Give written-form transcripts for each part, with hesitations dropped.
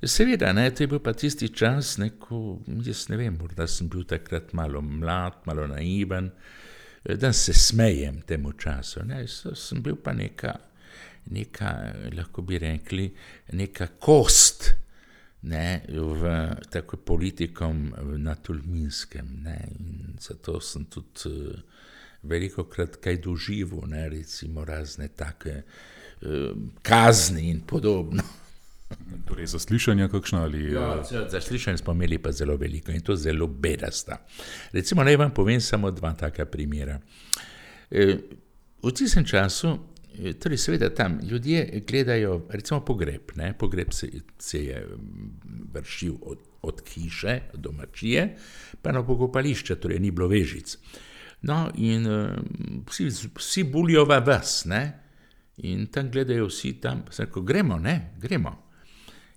Seveda, ne, to je bil pa tisti čas, ko, jaz ne vem, morda sem bil takrat malo mlad, malo naiven, da se smejem temu času, ne, sem bil pa neka, lahko bi rekli, neka kost, ne, tako politikom na Tolminskem, ne, in zato sem tudi velikokrat kaj doživel, ne, recimo razne take kazni in podobno. Torej zaslišanja kakšna ali... Zaslišanja smo imeli pa zelo veliko in to zelo bedasta. Recimo, naj vam povem samo dva taka primera. V tistem času, torej seveda tam ljudje gledajo, recimo pogreb, ne, pogreb se je vršil od hiše, domačije, pa na pokopališče, torej ni bilo vežic. No, in vsi bulijo v vas, ne, in tam gledajo vsi tam, ko gremo, ne, gremo.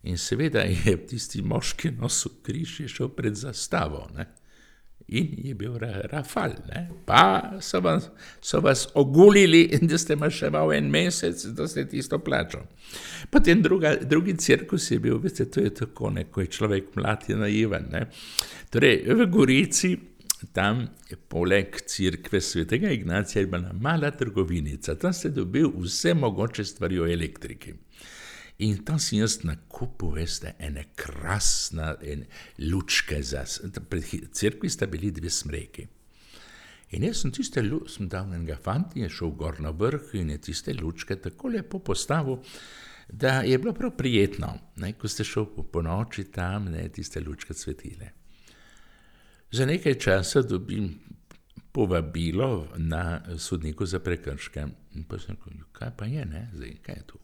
In seveda je tisti moški nosil križ, je šel pred zastavo, ne, in je bil rafal, ne, pa so vas ogulili in da ste maševal en mesec, da ste tisto plačal. Potem drugi cirkus je bil, veste, to je tako, ne, ko je človek mlad je naiven, ne. Torej, v Gorici, tam poleg cerkve svetega Ignacija je bila mala trgovinica, tam ste dobil vse mogoče stvari o elektriki. In tam sem jaz nakupil, veste, ene krasne lučke, pred cerkvi sta bili dve smreki. In jaz sem dal enega fanta, je šel gor na vrh in je tiste lučke tako lepo postavil, da je bilo prav prijetno, ne, ko ste šel po noči tam, ne, tiste lučke svetile. Za nekaj časa dobim povabilo na sodniku za prekrške. In pa sem rekel, kaj pa je, ne, zdaj, kaj je tu?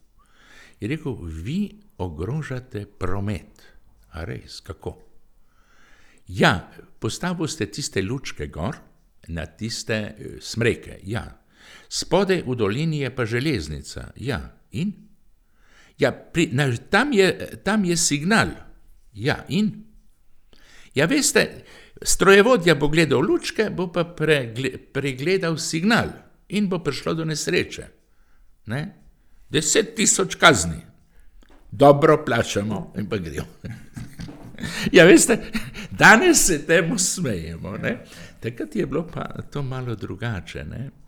Je rekel, vi ogrožate promet. A res, kako? Ja, postavil ste tiste lučke gor, na tiste smreke, ja. Spodaj v dolini je pa železnica, ja, in? Ja, tam je signal, ja, in? Ja, veste, strojevodja bo gledal lučke, bo pa pregledal signal in bo prišlo do nesreče, ne? 10,000 kazni. Dobro plačamo in pa gremo. Ja, veste, danes se temu smejemo, ne? Takrat je bilo pa to malo drugače, ne?